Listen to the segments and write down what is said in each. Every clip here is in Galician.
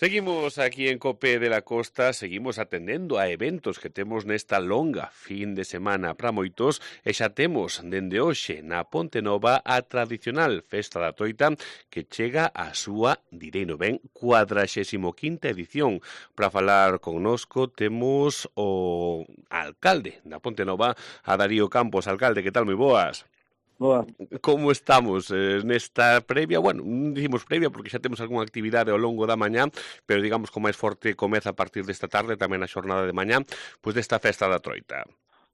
Seguimos aquí en COPE de la Costa, seguimos atendendo a eventos que temos nesta longa fin de semana para moitos e xa temos dende hoxe na Ponte Nova a tradicional Festa da Troita que chega á súa, direino ben, 45ª edición. Para falar connosco temos o alcalde da Ponte Nova, a Darío Campos. Alcalde, que tal? Moi boas. Boa. Como estamos nesta previa? Bueno, non dicimos previa porque xa temos algunha actividade ao longo da mañá, pero digamos que o máis forte comeza a partir desta tarde, tamén a xornada de mañá, pois desta Festa da Troita.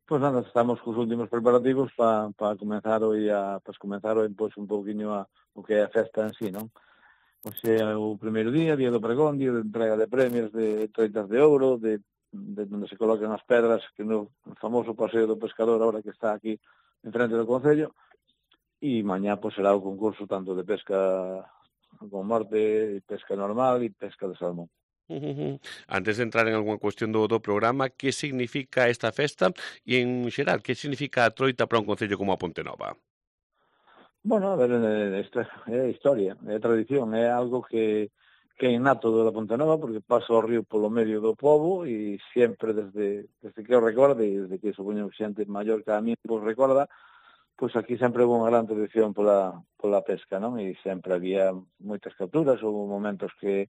Pois nada, estamos cos últimos preparativos para comenzar hoy pois un pouquiño o que é a festa en sí, non? Hoxe é o primeiro día do pregón, día de entrega de premios, de troitas de ouro, de onde se colocan as pedras, que no famoso paseo do pescador agora que está aquí en frente do Concello. E mañá pois será o concurso tanto de pesca con morte, pesca normal e pesca de salmón. Antes de entrar en algunha cuestión do programa, que significa esta festa e, en xeral, que significa a Troita para un concello como a Ponte Nova? Bueno, a ver, esta é historia, é tradición, é algo que é innato da Ponte Nova, porque pasa o río polo medio do pobo e sempre desde que eu recordo e desde que supoño xente maior que a mí pues recorda, pois aquí sempre houve unha gran tradición pola pesca, non? E sempre había moitas capturas, houve momentos que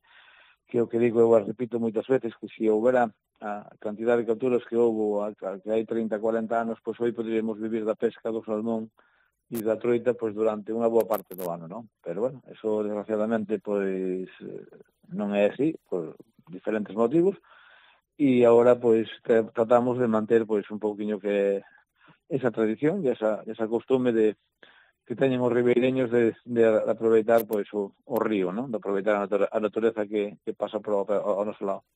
o que digo eu as repito moitas veces, que se houbera a cantidad de capturas que houve que hai 30, 40 anos, pois hoy poderíamos vivir da pesca do salmón e da troita pois durante unha boa parte do ano, non? Pero bueno, eso desgraciadamente pois non é así, por diferentes motivos, e agora pois tratamos de manter pois un pouquiño que esa tradición e esa costume de que teñen os ribeireños de aproveitar pois o río, non? De aproveitar a natureza que pasa ao noso lado.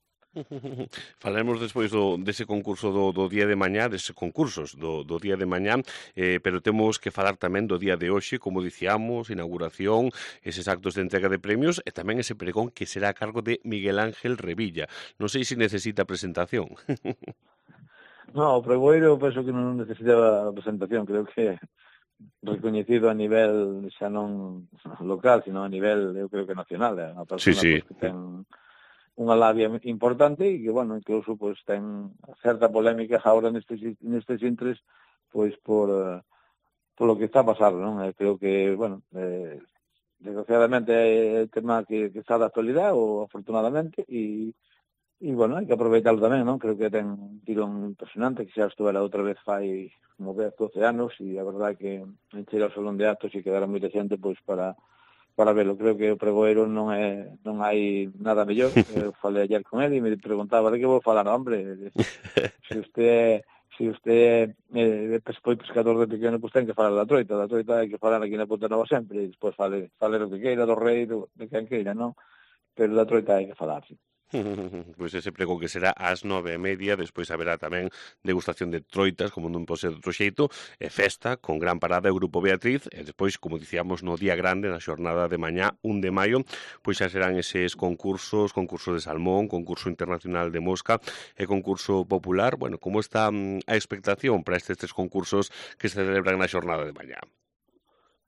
Falaremos despois dese concurso do día de mañá, deses concursos do día de mañá, pero temos que falar tamén do día de hoxe, como dicíamos, inauguración, eses actos de entrega de premios e tamén ese pregón que será a cargo de Miguel Ángel Revilla. Non sei se necesita presentación. No, o pregoeiro penso que non necesitaba presentación, creo que recoñecido a nivel xa non local, sino a nivel, eu creo que nacional, é unha persona Sí. Pues, que ten unha labia importante e que, bueno, incluso pues, ten certa polémica agora nestes intres pois por lo que está a pasar, non? Creo que, bueno, desgraciadamente é o tema que está de actualidade, ou afortunadamente, e bueno, hai que aproveitarlo tamén, non? Creo que ten un tirón impresionante, que xa estuvera outra vez fai como 10, 12 anos, e a verdade que encheira o salón de actos e quedara moita xente pois para velo. Creo que o pregoeiro non hai nada mellor. Eu falei ayer con ele e me preguntaba de que vou falar, hombre, se usted foi pescador de pequeno, pois ten que falar da troita hai que falar aquí na Ponte Nova sempre, e despois fale o que queira do rei, de quen queira, non? Pero da troita hai que falar, sí. Pois ese pregón que será ás 9:30, despois haberá tamén degustación de troitas, como non pode ser de outro xeito, e festa con gran parada do Grupo Beatriz, e despois, como dicíamos, no día grande, na xornada de mañá, 1 de maio, pois xa serán eses concurso de salmón, concurso internacional de mosca e concurso popular. Bueno, como está a expectación para estes tres concursos que se celebran na xornada de mañá?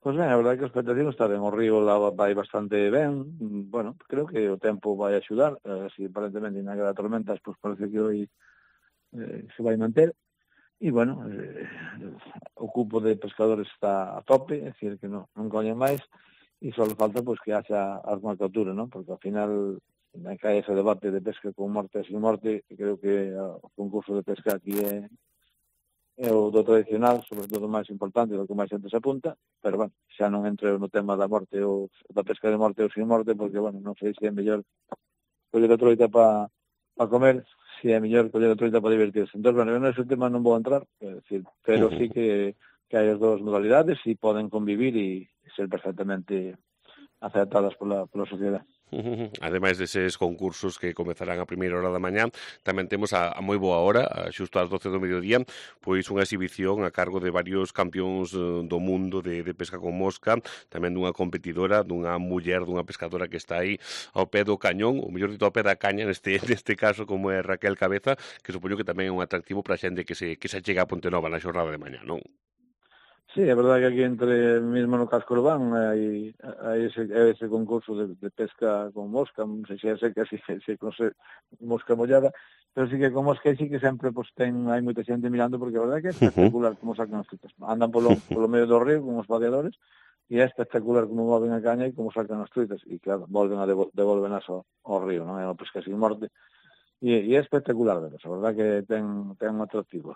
Pois ben, a verdade que a expectación está ben, o río lá vai bastante ben, bueno, creo que o tempo vai axudar, así aparentemente na guerra de tormentas, pois parece que hoy se vai manter, e bueno, o cupo de pescadores está a tope, é dicir que non coñen máis, e só falta pois que haxa algunha captura, non? Porque ao final cae ese debate de pesca con morte e sin morte, e creo que o concurso de pesca aquí é o do tradicional, sobre todo o máis importante, do que máis xente se apunta, pero, bueno, xa non entro no tema da morte ou da pesca de morte ou sin morte, porque, bueno, non sei se é mellor coller a troita para comer, se é mellor coller a troita para divertirse. Entón, bueno, nese tema non vou entrar, decir, pero sí que hai as dúas modalidades e poden convivir e ser perfectamente aceptadas pola sociedade. Ademais deses concursos que comezarán a primeira hora da mañá, tamén temos a moi boa hora, xusto ás 12 do mediodía, pois unha exhibición a cargo de varios campións do mundo de pesca con mosca, tamén dunha competidora, dunha muller, dunha pescadora que está aí ao pé do cañón, ou mellor dito ao pé da caña, neste caso, como é Raquel Cabeza, que supoño que tamén é un atractivo para a xente que se chega a Ponte Nova na xornada de mañá, non? Sí, é verdade que aquí entre mesmo no casco urbano hai ese concurso de pesca con mosca, non sei se é seca, se con mosca mollada, pero sí que con mosca sí que sempre pues, hai moita xente mirando porque a verdade que é espectacular como sacan as truitas. Andan polo medio do río con os vadeadores e é espectacular como moven a caña e como sacan as truitas e claro, volven a devolvenas ao río, non é unha pesca sin morte e é espectacular veros, a verdade que ten un atractivo.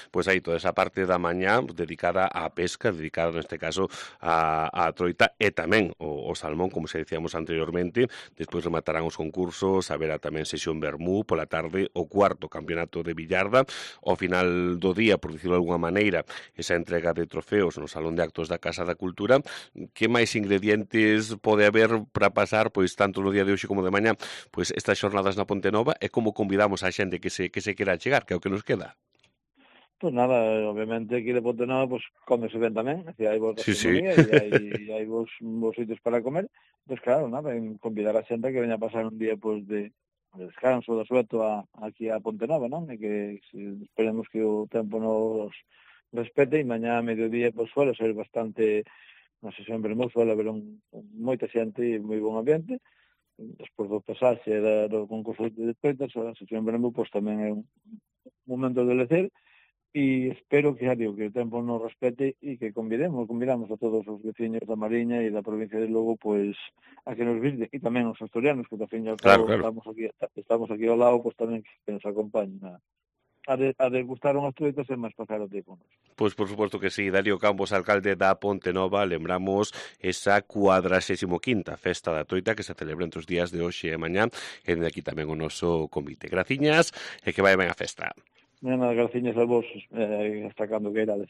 Pois aí toda esa parte da mañá dedicada á pesca, dedicada neste caso á troita e tamén o salmón, como se decíamos anteriormente. Despois rematarán os concursos, haberá tamén sesión vermú, pola tarde o cuarto campeonato de billarda, ao final do día, por dicirlo de alguma maneira, esa entrega de trofeos no Salón de Actos da Casa da Cultura. Que máis ingredientes pode haber para pasar, pois tanto no día de hoxe como de mañá, pois estas xornadas na Ponte Nova e como convidamos a xente que se quera chegar, que é o que nos queda? Pues nada, obviamente aquí de Ponte Nova pues cómese ben tamén, así hai boa Sí, sí. gastronomía e hai vos sitios para comer, pues claro, nada, en convidar a xente que veña a pasar un día pues de descanso, de sueto aquí a Ponte Nova, non? E que esperemos que o tempo nos respete e mañá a mediodía pues suele ser bastante, non sei, sempre moi suele haber moita xente e moi bon ambiente. Despois do pasaxe do concurso de despertas, a sesión vermú pues tamén é un momento de lecer. E espero que, que o tempo nos respete e que convidamos a todos os veciños da Mariña e da provincia de Lugo, pois, a que nos visiten, e tamén os asturianos, que, ao fin e ao Claro, cabo, claro. estamos aquí ao lado, pois tamén que nos acompañen a degustar unhas truitas e máis pasar o tempo. Pois por suposto que sí, Darío Campos, alcalde da Ponte Nova, lembramos esa 45ª Festa da Troita que se celebra entre os días de hoxe e mañá, e dende aquí tamén o noso convite. Graciñas e que vai ben a festa. Nada, graciñas a vos, hasta cando queirades.